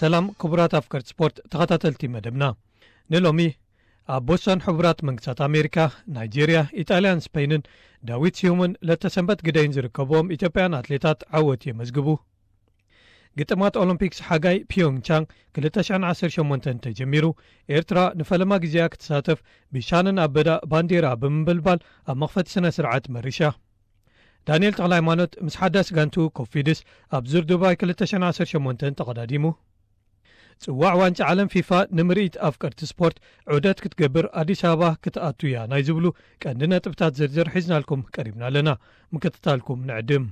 ሰላም ክቡራት ኣፍቀርቲ ስፖርት ተኸታተልቲ መደብና። ንሎሚ ኣብ ቦስተን ሕቡራት መንግስታት ኣሜሪካ፣ ናይጄርያ፣ ኢጣልያን ስፔንን ዳዊት ስዩምን ለተሰንበት ግደይን ዝርከብዎም ኢትዮጵያን ኣትሌታት ዓወት የመዝግቡ። ግጥማት ኦሎምፒክስ ሓጋይ ፒዮንግቻንግ ክልተ ሽሕን ዓሰርተ ሸሞንተን ተጀሚሩ፣ ኤርትራ ንፈለማ ግዜኣ ክትሳተፍ ብሻንን ኣበዳ ባንዴራ ብምንብልባል ኣብ መኽፈቲ ስነ ስርዓት መሪሻ። ዳንኤል ተኽለሃይማኖት ምስ ሓዳስ ጋንቱ ኮፊድስ ኣብ ዙር ዱባይ ክልተ ሽሕን ዓሰርተ ሸሞንተን ተቐዳዲሙ። ጽዋዕ ዋንጫ ዓለም ፊፋ ንምርኢት ኣፍቀርቲ ስፖርት ዑደት ክትገብር ኣዲስ ኣበባ ክትኣቱ እያ ናይ ዝብሉ ቀንዲ ነጥብታት ዝርዝር ሒዝናልኩም ቀሪብና ኣለና። ምክትታልኩም ንዕድም።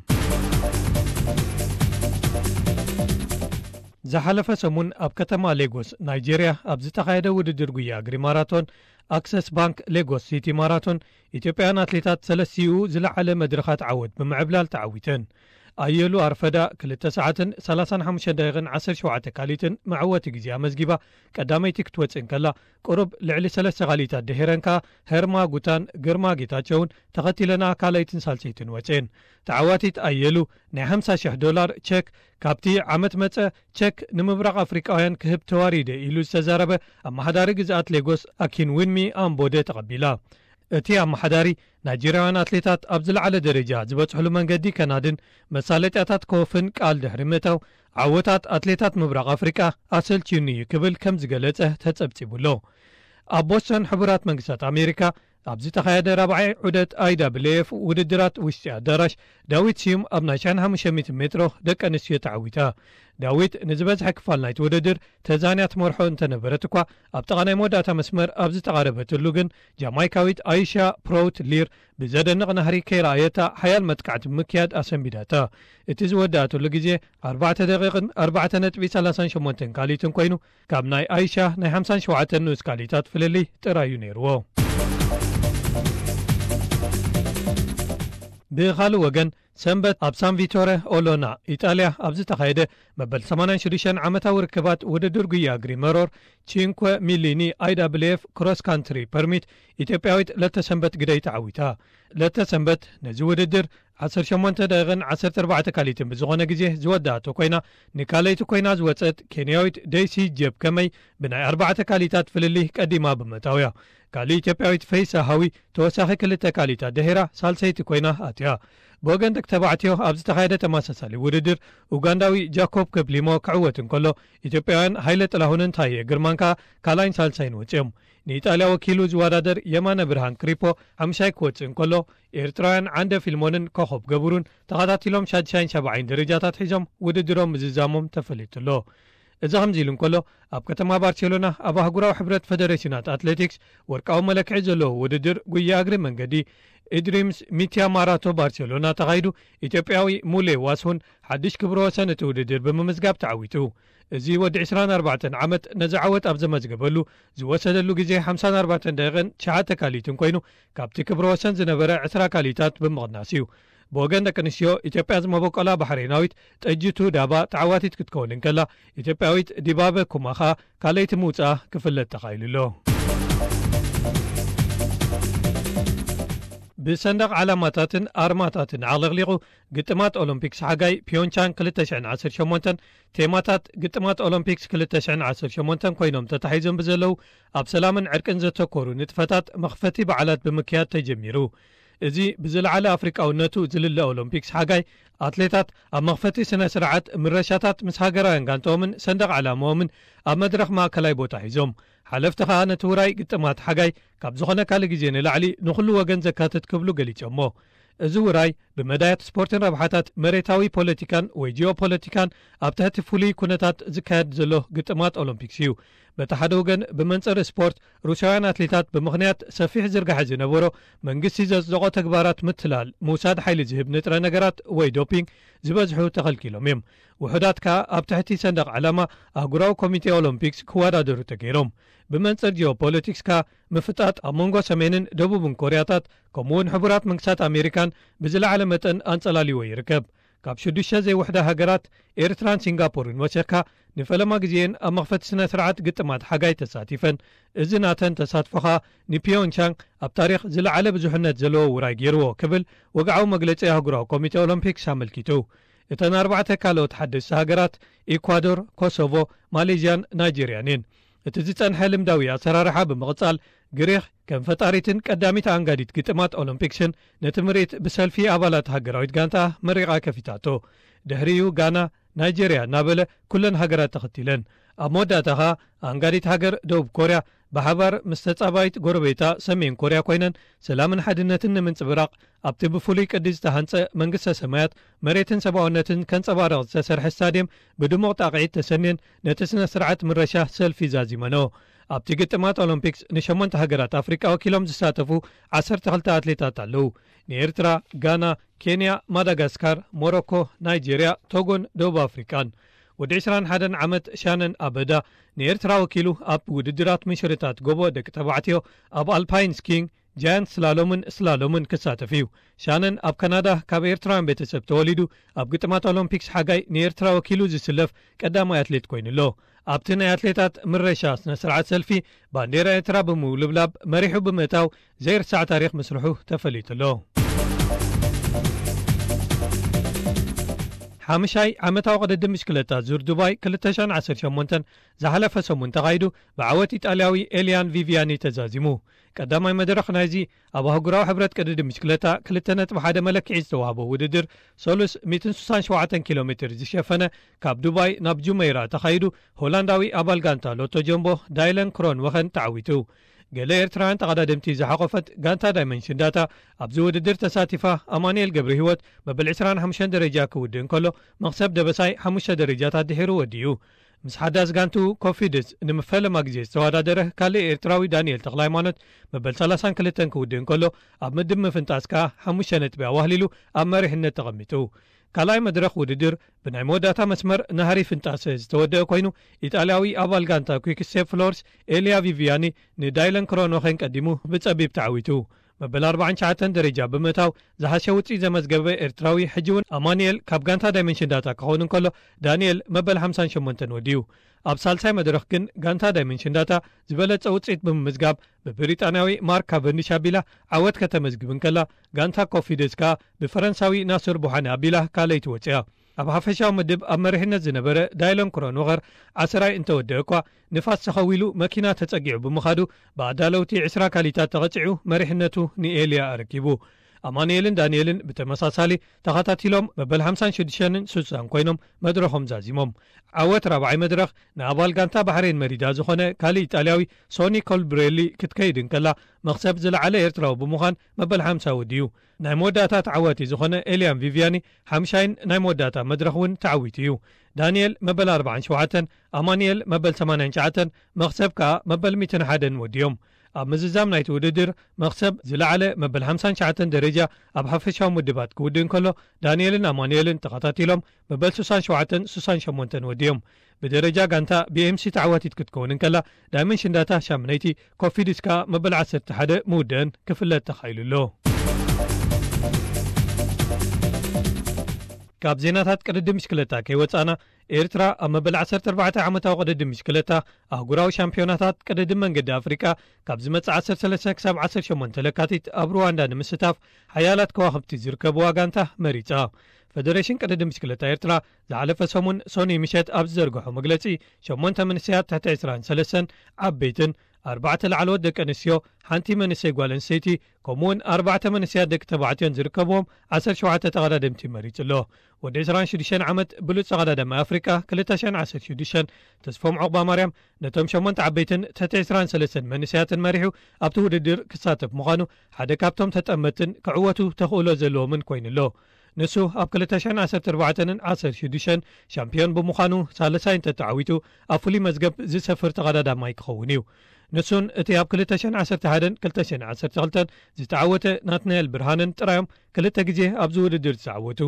ዝሓለፈ ሰሙን ኣብ ከተማ ሌጎስ ናይጄርያ ኣብ ዝተኻየደ ውድድር ጉያ እግሪ ማራቶን ኣክሰስ ባንክ ሌጎስ ሲቲ ማራቶን ኢትዮጵያውያን ኣትሌታት ሰለስቲኡ ዝለዓለ መድረኻት ዓወት ብምዕብላል ተዓዊተን። ኣየሉ ኣርፈዳ ክልተ ሰዓትን ሰላሳን ሓሙሽተ ደቂቕን ዓሰርተ ሸውዓተ ካሊትን መዕወቲ ግዜ ኣመዝጊባ ቀዳመይቲ ክትወጽእ እንከላ፣ ቁሩብ ልዕሊ ሰለስተ ካሊታት ድሒረን ከኣ ሄርማ ጉታን ግርማ ጌታቸውን ተኸቲለና ካልኣይትን ሳልሰይትን ወጽኤን። ተዓዋቲት ኣየሉ ናይ ሓምሳ ሽሕ ዶላር ቸክ ካብቲ ዓመት መጸ ቸክ ንምብራቕ ኣፍሪቃውያን ክህብ ተዋሪደ ኢሉ ዝተዛረበ ኣመሓዳሪ ግዝኣት ሌጎስ ኣኪን ዊንሚ ኣምቦደ ተቐቢላ። እቲ ኣመሓዳሪ ናይጄርያውያን ኣትሌታት ኣብ ዝለዓለ ደረጃ ዝበጽሕሉ መንገዲ ከናድን መሳለጥያታት ከወፍን ቃል ድሕሪ ምእታው፣ ዓወታት ኣትሌታት ምብራቕ ኣፍሪቃ ኣሰልችዩኒ እዩ ክብል ከም ዝገለጸ ተጸብጺቡ ኣሎ። ኣብ ቦስተን ሕቡራት መንግስታት ኣሜሪካ ኣብ ዝተኻየደ ራብዓይ ዑደት ኣይ ዳብል ኤፍ ውድድራት ውሽጢ ኣዳራሽ ዳዊት ስዩም ኣብ ናይ ሽሕን ሓሙሽተ ሚእትን ሜትሮ ደቂ ኣንስትዮ ተዓዊታ። ዳዊት ንዝበዝሐ ክፋል ናይቲ ውድድር ተዛንያ ትመርሖ እንተነበረት እኳ፣ ኣብ ጥቓ ናይ መወዳእታ መስመር ኣብ ዝተቓረበትሉ ግን ጃማይካዊት ኣይሻ ፕሮውት ሊር ብዘደንቕ ናህሪ ከይረኣየታ ሓያል መጥቃዕቲ ብምክያድ ኣሰንቢዳታ። እቲ ዝወዳእትሉ ግዜ ኣርባዕተ ደቂቕን ኣርባዕተ ነጥቢ ሰላሳን ሸሞንተን ካሊትን ኮይኑ፣ ካብ ናይ ኣይሻ ናይ ሓምሳን ሸውዓተን ንኡስ ካሊታት ፍልልይ ጥራይ እዩ ነይርዎ። ብኻልእ ወገን፣ ሰንበት ኣብ ሳን ቪቶረ ኦሎና ኢጣልያ ኣብ ዝተኻየደ መበል ሰማንያን ሽዱሽተን ዓመታዊ ርክባት ውድድር ጉያ እግሪ መሮር ቺንኮ ሚሊኒ ኣይ ዳብል ኤፍ ክሮስ ካንትሪ ፐርሚት ኢትዮጵያዊት ለተሰንበት ግደይ ተዓዊታ። ለተሰንበት ነዚ ውድድር ዓሰርተ ሸሞንተ ደቂቕን ዓሰርተ ኣርባዕተ ካሊትን ብዝኾነ ግዜ ዝወዳእቶ ኮይና፣ ንካለይቲ ኮይና ዝወጸት ኬንያዊት ደይሲ ጀብ ከመይ ብናይ ኣርባዕተ ካሊታት ፍልልይ ቀዲማ ብምእታውያ። ካልእ ኢትዮጵያዊት ፈይሳ ሃዊ ተወሳኺ ክልተ ካሊታት ድሒራ ሳልሰይቲ ኮይና ኣትያ። ብወገን ደቂ ተባዕትዮ ኣብ ዝተኻየደ ተመሳሳሊ ውድድር፣ ኡጋንዳዊ ጃኮብ ከፕሊሞ ክዕወት እንከሎ፣ ኢትዮጵያውያን ሃይለ ጥላሁንን ታየ ግርማን ከኣ ካልኣይን ሳልሳይን ወጺኦም። ንኢጣልያ ወኪሉ ዝወዳደር የማነ ብርሃን ክሪፖ ሓምሻይ ክወጽእ እንከሎ፣ ኤርትራውያን ዓንደ ፊልሞንን ኮኸብ ገብሩን ተኸታቲሎም ሻድሻይን ሻብዓይን ደረጃታት ሒዞም ውድድሮም ምዝዛሞም ተፈሊጡ ኣሎ። እዚ ከምዚ ኢሉ እንከሎ፣ ኣብ ከተማ ባርሴሎና ኣብ ኣህጉራዊ ሕብረት ፈደሬሽናት ኣትሌቲክስ ወርቃዊ መለክዒ ዘለዎ ውድድር ጉያ እግሪ መንገዲ ኢድሪምስ ሚትያ ማራቶ ባርሴሎና ተኻይዱ፣ ኢትዮጵያዊ ሙሌ ዋስሁን ሓድሽ ክብረ ወሰን እቲ ውድድር ብምምዝጋብ ተዓዊቱ። እዚ ወዲ ዕስራን ኣርባዕተን ዓመት ነዚ ዓወት ኣብ ዘመዝገበሉ ዝወሰደሉ ግዜ ሓምሳን ኣርባዕተን ደቂቕን ትሽዓተ ካሊትን ኮይኑ፣ ካብቲ ክብረ ወሰን ዝነበረ ዕስራ ካሊታት ብምቕናስ እዩ። ብወገን ደቂ ኣንስትዮ፣ ኢትዮጵያ ዝመበቆላ ባሕሬናዊት ጠጅቱ ዳባ ተዓዋቲት ክትከውን እንከላ፣ ኢትዮጵያዊት ዲባበ ኩማ ኸኣ ካልኣይቲ ምውጻኣ ክፍለጥ ተኻኢሉ ኣሎ። ብሰንደቕ ዓላማታትን ኣርማታትን ዓቕሊቕሊቑ፣ ግጥማት ኦሎምፒክስ ሓጋይ ፒዮንቻንግ ክልተ ሽሕን ዓሰርተ ሸሞንተን፣ ቴማታት ግጥማት ኦሎምፒክስ ክልተ ሽሕን ዓሰርተ ሸሞንተን ኮይኖም ተታሒዞም ብዘለዉ፣ ኣብ ሰላምን ዕርቅን ዘተኮሩ ንጥፈታት መኽፈቲ በዓላት ብምክያድ ተጀሚሩ። እዚ ብዝለዓለ ኣፍሪቃውነቱ ዝልለ ኦሎምፒክስ ሓጋይ፣ ኣትሌታት ኣብ መኽፈቲ ስነ ስርዓት ምረሻታት ምስ ሃገራውያን ጋንታኦምን ሰንደቕ ዓላማኦምን ኣብ መድረኽ ማእከላይ ቦታ ሒዞም፣ ሓለፍቲ ከኣ ነቲ ውራይ ግጥማት ሓጋይ ካብ ዝኾነ ካልእ ግዜ ንላዕሊ ንኹሉ ወገን ዘካትት ክብሉ ገሊጾሞ። እዚ ውራይ ብመዳያት ስፖርትን ረብሓታት መሬታዊ ፖለቲካን ወይ ጂኦፖለቲካን ኣብ ትሕቲ ፍሉይ ኩነታት ዝካየድ ዘሎ ግጥማት ኦሎምፒክስ እዩ። በቲ ሓደ ወገን፣ ብመንጽር ስፖርት፣ ሩስያውያን ኣትሌታት ብምኽንያት ሰፊሕ ዝርጋሐ ዝነበሮ መንግስቲ ዘጽደቖ ተግባራት ምትላል፣ ምውሳድ ሓይሊ ዝህብ ንጥረ ነገራት ወይ ዶፒንግ ዝበዝሑ ተኸልኪሎም እዮም። ውሑዳት ከኣ ኣብ ትሕቲ ሰንደቕ ዓላማ ኣህጉራዊ ኮሚቴ ኦሎምፒክስ ክወዳደሩ ተገይሮም። ብመንጽር ጂኦፖለቲክስ ከኣ ምፍጣጥ ኣብ መንጎ ሰሜንን ደቡብን ኮርያታት፣ ከምኡ'ውን ሕቡራት መንግስታት ኣሜሪካን ብዝለዓለ መጠን ኣንጸላልይዎ ይርከብ። ካብ ሽዱሽተ ዘይውሕዳ ሃገራት፣ ኤርትራን ሲንጋፖርን ወሲኽካ፣ ንፈለማ ግዜየን ኣብ መኽፈቲ ስነ ስርዓት ግጥማት ሓጋይ ተሳቲፈን። እዚ ናተን ተሳትፎ ኸኣ ንፒዮንቻንግ ኣብ ታሪኽ ዝለዓለ ብዙሕነት ዘለዎ ውራይ ገይርዎ ክብል ወግዓዊ መግለጺ ኣህጉራዊ ኮሚቴ ኦሎምፒክስ ኣመልኪቱ። እተን ኣርባዕተ ካልኦት ሓደስቲ ሃገራት፣ ኢኳዶር፣ ኮሶቮ፣ ማሌዥያን ናይጄርያን እየን። እቲ ዝጸንሐ ልምዳዊ ኣሰራርሓ ብምቕጻል፣ ግሪኽ ከም ፈጣሪትን ቀዳሚት ኣንጋዲት ግጥማት ኦሎምፒክስን ነቲ ምርኢት ብሰልፊ ኣባላት ሃገራዊት ጋንታ መሪቓ ከፊታቶ። ድሕሪኡ ጋና፣ ናይጄርያ እናበለ ኩለን ሃገራት ተኸቲለን። ኣብ መወዳእታ ኸኣ ኣንጋዲት ሃገር ደቡብ ኮርያ ብሓባር ምስ ተጻባይት ጎረቤታ ሰሜን ኮርያ ኮይነን ሰላምን ሓድነትን ንምንጽብራቕ ኣብቲ ብፍሉይ ቅዲ ዝተሃንጸ መንግስተ ሰማያት መሬትን ሰብኣውነትን ከንጸባርቕ ዝተሰርሐ ስታድየም ብድሙቕ ጣቕዒት ተሰንየን ነቲ ስነ ስርዓት ምረሻ ሰልፊ ዛዚመኖ። ኣብቲ ግጥማት ኦሎምፒክስ ንሸሞንተ ሃገራት ኣፍሪቃ ወኪሎም ዝሳተፉ ዓሰርተ ክልተ ኣትሌታት ኣለዉ። ንኤርትራ፣ ጋና፣ ኬንያ፣ ማዳጋስካር፣ ሞሮኮ፣ ናይጄርያ፣ ቶጎን ደቡብ ኣፍሪቃን። ወዲ ዕስራን ሓደን ዓመት ሻነን ኣበዳ ንኤርትራ ወኪሉ ኣብ ውድድራት ምንሽርታት ጎቦ ደቂ ተባዕትዮ ኣብ ኣልፓይን ስኪንግ፣ ጃያንት ስላሎምን ስላሎምን ክሳተፍ እዩ። ሻነን ኣብ ካናዳ ካብ ኤርትራውያን ቤተሰብ ተወሊዱ ኣብ ግጥማት ኦሎምፒክስ ሓጋይ ንኤርትራ ወኪሉ ዝስለፍ ቀዳማይ ኣትሌት ኮይኑ ኣሎ። ኣብቲ ናይ ኣትሌታት ምረሻ ስነ ስርዓት ሰልፊ ባንዴራ ኤርትራ ብምውልብላብ መሪሑ ብምእታው ዘይርሳዕ ታሪኽ ምስርሑ ተፈሊጡ ኣሎ። ሓምሻይ ዓመታዊ ቅድድም ብሽክለታ ዙር ዱባይ ክልተ ሽሕን ዓሰርተ ሸሞንተን ዝሓለፈ ሰሙን ተኻይዱ ብዓወት ኢጣልያዊ ኤልያን ቪቪያኒ ተዛዚሙ። ቀዳማይ መድረኽ ናይዚ ኣብ ኣህጉራዊ ሕብረት ቅድድም ብሽክለታ ክልተ ነጥቢ ሓደ መለክዒ ዝተዋህቦ ውድድር ሰሉስ ሚእትን ስሳን ሸውዓተን ኪሎ ሜትር ዝሸፈነ ካብ ዱባይ ናብ ጁመይራ ተኻይዱ ሆላንዳዊ ኣባል ጋንታ ሎቶ ጀምቦ ዳይለን ክሮን ወኸን ተዓዊቱ። ገለ ኤርትራውያን ተቐዳደምቲ ዝሓቖፈት ጋንታ ዳይመንሽን ዳታ ኣብዚ ውድድር ተሳቲፋ ኣማኑኤል ገብረ ህይወት መበል ዕስራን ሓሙሽተን ደረጃ ክውድእ እንከሎ መኽሰብ ደበሳይ ሓሙሽተ ደረጃታት ድሒሩ ወዲኡ። ምስ ሓዳስ ጋንቱ ኮፊድስ ንምፈለማ ግዜ ዝተወዳደረ ካልእ ኤርትራዊ ዳንኤል ተኽለሃይማኖት መበል ሰላሳን ክልተን ክውድእ እንከሎ ኣብ ምድብ ምፍንጣስ ከኣ ሓሙሽተ ነጥቢ ኣዋህሊሉ ኣብ መሪሕነት ተቐሚጡ። ካልኣይ መድረኽ ውድድር ብናይ መወዳእታ መስመር ናህሪ ፍንጣሰ ዝተወደአ ኮይኑ፣ ኢጣልያዊ ኣባል ጋንታ ኩክ ስቴፕ ፍሎርስ ኤልያ ቪቪያኒ ንዳይለን ክሮኖኸን ቀዲሙ ብጸቢብ ተዓዊቱ። መበል ኣርባዓን ትሽዓተን ደረጃ ብምእታው ዝሓሸ ውጽኢት ዘመዝገበ ኤርትራዊ ሕጂ እውን ኣማኑኤል ካብ ጋንታ ዳይመንሽን ዳታ ክኸውን እንከሎ፣ ዳንኤል መበል ሓምሳን ሸሞንተን ወዲኡ። ኣብ ሳልሳይ መድረኽ ግን ጋንታ ዳይመንሽን ዳታ ዝበለጸ ውጽኢት ብምምዝጋብ ብብሪጣንያዊ ማርክ ካቨንዲሽ ኣቢላ ዓወት ከተመዝግብ እንከላ፣ ጋንታ ኮፊደስ ከኣ ብፈረንሳዊ ናስር ቡሓኒ ኣቢላ ካልኣይቲ ወጺኣ። ኣብ ሓፈሻዊ ምድብ ኣብ መሪሕነት ዝነበረ ዳይሎን ክሮንወኸር ዓስራይ እንተወደአ እኳ፣ ንፋስ ተኸዊሉ መኪና ተጸጊዑ ብምኻዱ ብኣዳለውቲ ዕስራ ካሊታት ተቐጺዑ መሪሕነቱ ንኤልያ ኣረኪቡ። ኣማኑኤልን ዳንኤልን ብተመሳሳሊ ተኸታቲሎም መበል ሓምሳን ሽዱሽተን ስሳን ኮይኖም መድረኾም ዛዚሞም። ዓወት ራብዓይ መድረኽ ንኣባል ጋንታ ባሕሬን መሪዳ ዝኾነ ካልእ ኢጣልያዊ ሶኒ ኮልብሬሊ ክትከይድ እንከላ፣ መኽሰብ ዝለዓለ ኤርትራዊ ብምዃን መበል ሓምሳ ወዲኡ። ናይ መወዳእታ ተዓዋቲ ዝኾነ ኤልያን ቪቪያኒ ሓምሻይን ናይ መወዳእታ መድረኽ እውን ተዓዊቱ እዩ። ዳንኤል መበል ኣርባዓን ሸውዓተን፣ ኣማኑኤል መበል ሰማንያን ትሽዓተን፣ መኽሰብ ከኣ መበል ሚእትን ሓደን ወዲኦም። ኣብ ምዝዛም ናይቲ ውድድር መኽሰብ ዝለዓለ መበል ሓምሳን ትሽዓተን ደረጃ ኣብ ሓፈሻዊ ምድባት ክውድእ እንከሎ፣ ዳንኤልን ኣማኑኤልን ተኸታቲሎም መበል ስሳን ሸውዓተን ስሳን ሸሞንተን ወዲኦም። ብደረጃ ጋንታ ቢኤምሲ ተዓዋቲት ክትከውን እንከላ፣ ዳይመንሽን ዳታ ሻምነይቲ፣ ኮፊድስ ከኣ መበል ዓሰርተ ሓደ ምውደአን ክፍለጥ ተኻኢሉ ኣሎ። ካብ ዜናታት ቅድድም ብሽክለታ ከይወጻና፣ ኤርትራ ኣብ መበል ዓሰርተ ኣርባዕተ ዓመታዊ ቅድድም ብሽክለታ ኣህጉራዊ ሻምፒዮናታት ቅድድም መንገዲ ኣፍሪቃ ካብ ዝመጽእ ዓሰርተ ሰለስተ ክሳብ ዓሰርተ ሸሞንተ ለካቲት ኣብ ሩዋንዳ ንምስታፍ ሓያላት ከዋኽብቲ ዝርከብዋ ጋንታ መሪጻ። ፈደሬሽን ቅድድም ብሽክለታ ኤርትራ ዝሓለፈ ሰሙን ሰኑይ ምሸት ኣብ ዝዘርግሖ መግለጺ፣ ሸሞንተ መንእሰያት ትሕቲ ዕስራን ሰለስተን ዓበይትን፣ ኣርባዕተ ላዕለዎት ደቂ ኣንስትዮ፣ ሓንቲ መንእሰይ ጓል ኣንስተይቲ፣ ከምኡውን ኣርባዕተ መንእሰያት ደቂ ተባዕትዮን ዝርከብዎም ዓሰርተ ሸውዓተ ተቐዳደምቲ መሪጹ ኣሎ። ወዲ ዕስራን ሽዱሽተን ዓመት ብሉጽ ተቐዳዳማይ ኣፍሪቃ ክልተ ሽሕን ዓሰርተ ሽዱሽተን ተስፎም ዑቕባማርያም ነቶም ሸሞንተ ዓበይትን ትሕቲ ዕስራን ሰለስተን መንእሰያትን መሪሑ ኣብቲ ውድድር ክሳተፍ ምዃኑ ሓደ ካብቶም ተጠመትን ክዕወቱ ተኽእሎ ዘለዎምን ኮይኑ ኣሎ። ንሱ ኣብ ክልተ ሽሕን ዓሰርተ ኣርባዕተን ዓሰርተ ሽዱሽተን ሻምፒዮን ብምዃኑ ሳልሳይ እንተተዓዊቱ ኣብ ፍሉይ መዝገብ ዝሰፍር ተቐዳዳማይ ክኸውን እዩ። ንሱን እቲ ኣብ ክልተ ሽሕን ዓሰርተ ሓደን ክልተ ሽሕን ዓሰርተ ክልተን ዝተዓወተ ናትናኤል ብርሃነን ጥራዮም ክልተ ግዜ ኣብዚ ውድድር ዝተዓወቱ።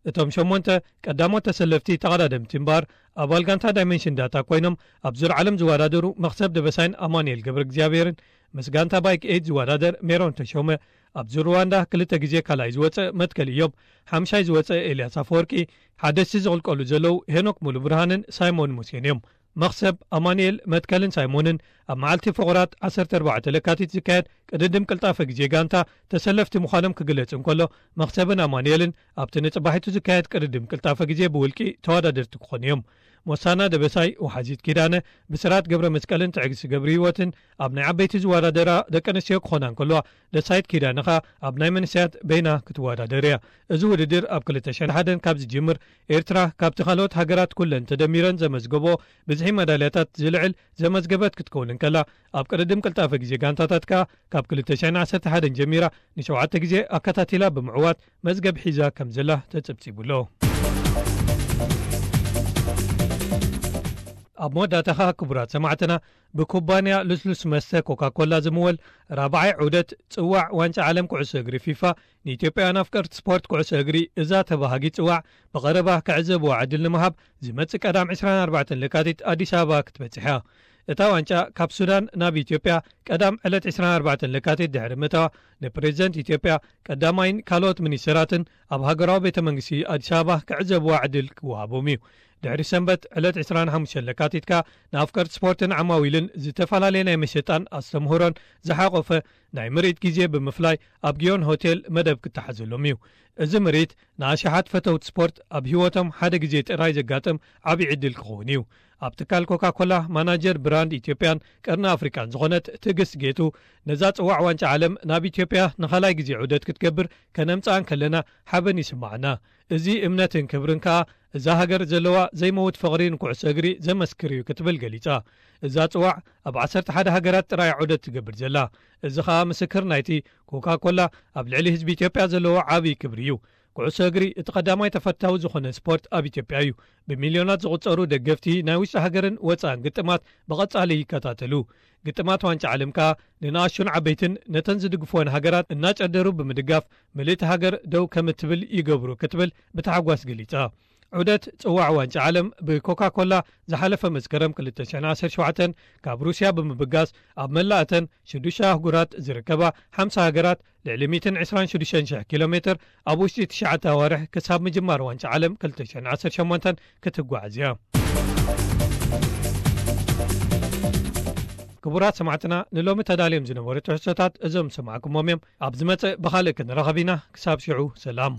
እቶም ሸሞንተ ቀዳሞት ተሰለፍቲ ተቐዳደምቲ እምበኣር ኣባል ጋንታ ዳይመንሽን ዳታ ኮይኖም ኣብ ዙር ዓለም ዝወዳደሩ መኽሰብ ደበሳይን ኣማኑኤል ገብረ እግዚኣብሔርን ምስ ጋንታ ባይክ ኤይድ ዝወዳደር ሜሮን ተሾመ፣ ኣብዚ ሩዋንዳ ክልተ ግዜ ካልኣይ ዝወጸ መትከል ኢዮብ፣ ሓምሻይ ዝወጸ ኤልያስ ኣፈወርቂ፣ ሓደስቲ ዝቕልቀሉ ዘለዉ ሄኖክ ሙሉ ብርሃንን ሳይሞን ሙሴን እዮም። መኽሰብ ኣማኑኤል መትከልን ሳይሞንን ኣብ መዓልቲ ፍቑራት ዓሰርተ ኣርባዕተ ለካቲት ዝካየድ ቅድድም ቅልጣፈ ግዜ ጋንታ ተሰለፍቲ ምዃኖም ክግለጽ እንከሎ፣ መኽሰብን ኣማኑኤልን ኣብቲ ንጽባሒቱ ዝካየድ ቅድድም ቅልጣፈ ግዜ ብውልቂ ተወዳደርቲ ክኾኑ እዮም። ሞሳና ደበሳይ፣ ወሓዚት ኪዳነ፣ ብስራት ገብረ መስቀልን ትዕግስቲ ገብረ ህይወትን ኣብ ናይ ዓበይቲ ዝወዳደራ ደቂ ኣንስትዮ ክኾና እንከለዋ፣ ደሳይት ኪዳነ ኸኣ ኣብ ናይ መንእሰያት በይና ክትወዳደር እያ። እዚ ውድድር ኣብ ክልተ ሽሕን ሓደን ካብ ዝጅምር፣ ኤርትራ ካብቲ ካልኦት ሃገራት ኩለን ተደሚረን ዘመዝገቦ ብዝሒ መዳልያታት ዝልዕል ዘመዝገበት ክትከውን እንከላ፣ ኣብ ቅድድም ቅልጣፈ ግዜ ጋንታታት ከኣ ካብ ክልተ ሽሕን ዓሰርተ ሓደን ጀሚራ ንሸውዓተ ግዜ ኣከታቲላ ብምዕዋት መዝገብ ሒዛ ከም ዘላ ተጸብጺቡ ኣሎ። ኣብ መወዳእታ ኸኣ ክቡራት ሰማዕትና፣ ብኩባንያ ልስሉስ መስተ ኮካ ኮላ ዝምወል ራብዓይ ዑደት ጽዋዕ ዋንጫ ዓለም ኩዕሶ እግሪ ፊፋ ንኢትዮጵያውያን ኣፍቀርቲ ስፖርት ኩዕሶ እግሪ እዛ ተባሃጊት ጽዋዕ ብቐረባ ክዕዘብዋ ዕድል ንምሃብ ዝመጽእ ቀዳም ዕስራን ኣርባዕተን ለካቲት ኣዲስ ኣበባ ክትበጽሕ እያ። እታ ዋንጫ ካብ ሱዳን ናብ ኢትዮጵያ ቀዳም ዕለት ዕስራን ኣርባዕተን ለካቲት ድሕሪ ምእታዋ ንፕሬዝደንት ኢትዮጵያ ቀዳማይን ካልኦት ሚኒስተራትን ኣብ ሃገራዊ ቤተ መንግስቲ ኣዲስ ኣበባ ክዕዘብዋ ዕድል ክወሃቦም እዩ። ድሕሪ ሰንበት ዕለት ዕስራን ሓሙሽተን ለካቲት ከኣ ንኣፍቀርቲ ስፖርትን ዓማዊልን ዝተፈላለየ ናይ መሸጣን ኣስተምህሮን ዝሓቆፈ ናይ ምርኢት ግዜ ብምፍላይ ኣብ ጊዮን ሆቴል መደብ ክተሓዘሎም እዩ። እዚ ምርኢት ንኣሽሓት ፈተውቲ ስፖርት ኣብ ህይወቶም ሓደ ግዜ ጥራይ ዘጋጥም ዓቢ ዕድል ክኸውን እዩ። ኣብ ትካል ኮካ ኮላ ማናጀር ብራንድ ኢትዮጵያን ቀርኒ ኣፍሪቃን ዝኾነት ትዕግስት ጌቱ፣ ነዛ ጽዋዕ ዋንጫ ዓለም ናብ ኢትዮጵያ ንኻልኣይ ግዜ ዑደት ክትገብር ከነምጽኣ እንከለና ሓበን ይስምዓና። እዚ እምነትን ክብርን ከኣ እዛ ሃገር ዘለዋ ዘይመውት ፍቕሪ ንኩዕሶ እግሪ ዘመስክር እዩ ክትብል ገሊጻ። እዛ ጽዋዕ ኣብ ዓሰርተ ሓደ ሃገራት ጥራይ ዑደት ትገብር ዘላ። እዚ ኸኣ ምስክር ናይቲ ኮካ ኮላ ኣብ ልዕሊ ህዝቢ ኢትዮጵያ ዘለዎ ዓቢ ክብሪ እዩ። ኩዕሶ እግሪ እቲ ቀዳማይ ተፈታዊ ዝኾነ ስፖርት ኣብ ኢትዮጵያ እዩ። ብሚልዮናት ዝቑጸሩ ደገፍቲ ናይ ውሽጢ ሃገርን ወጻእን ግጥማት ብቐጻሊ ይከታተሉ። ግጥማት ዋንጫ ዓለም ከኣ ንንኣሽቱን ዓበይትን ነተን ዝድግፍወን ሃገራት እናጨደሩ ብምድጋፍ ምልእቲ ሃገር ደው ከም እትብል ይገብሩ ክትብል ብታሕጓስ ገሊጻ። ዑደት ጽዋዕ ዋንጫ ዓለም ብኮካ ኮላ ዝሓለፈ መስከረም ክልተ ሽሕን ዓሰርተ ሸውዓተን ካብ ሩስያ ብምብጋስ ኣብ መላእተን ሽዱሽተ ኣህጉራት ዝርከባ ሓምሳ ሃገራት ልዕሊ ሚእትን ዕስራን ሽዱሽተን ሽሕ ኪሎ ሜትር ኣብ ውሽጢ ትሽዓተ ኣዋርሕ ክሳብ ምጅማር ዋንጫ ዓለም ክልተ ሽሕን ዓሰርተ ሸሞንተን ክትጓዓዝ እያ። ክቡራት ሰማዕትና፣ ንሎሚ ተዳልዮም ዝነበሩ ትሕዝቶታት እዞም ሰማዕኩሞም እዮም። ኣብ ዝመጽእ ብኻልእ ክንራኸብ ኢና። ክሳብ ሽዑ ሰላም።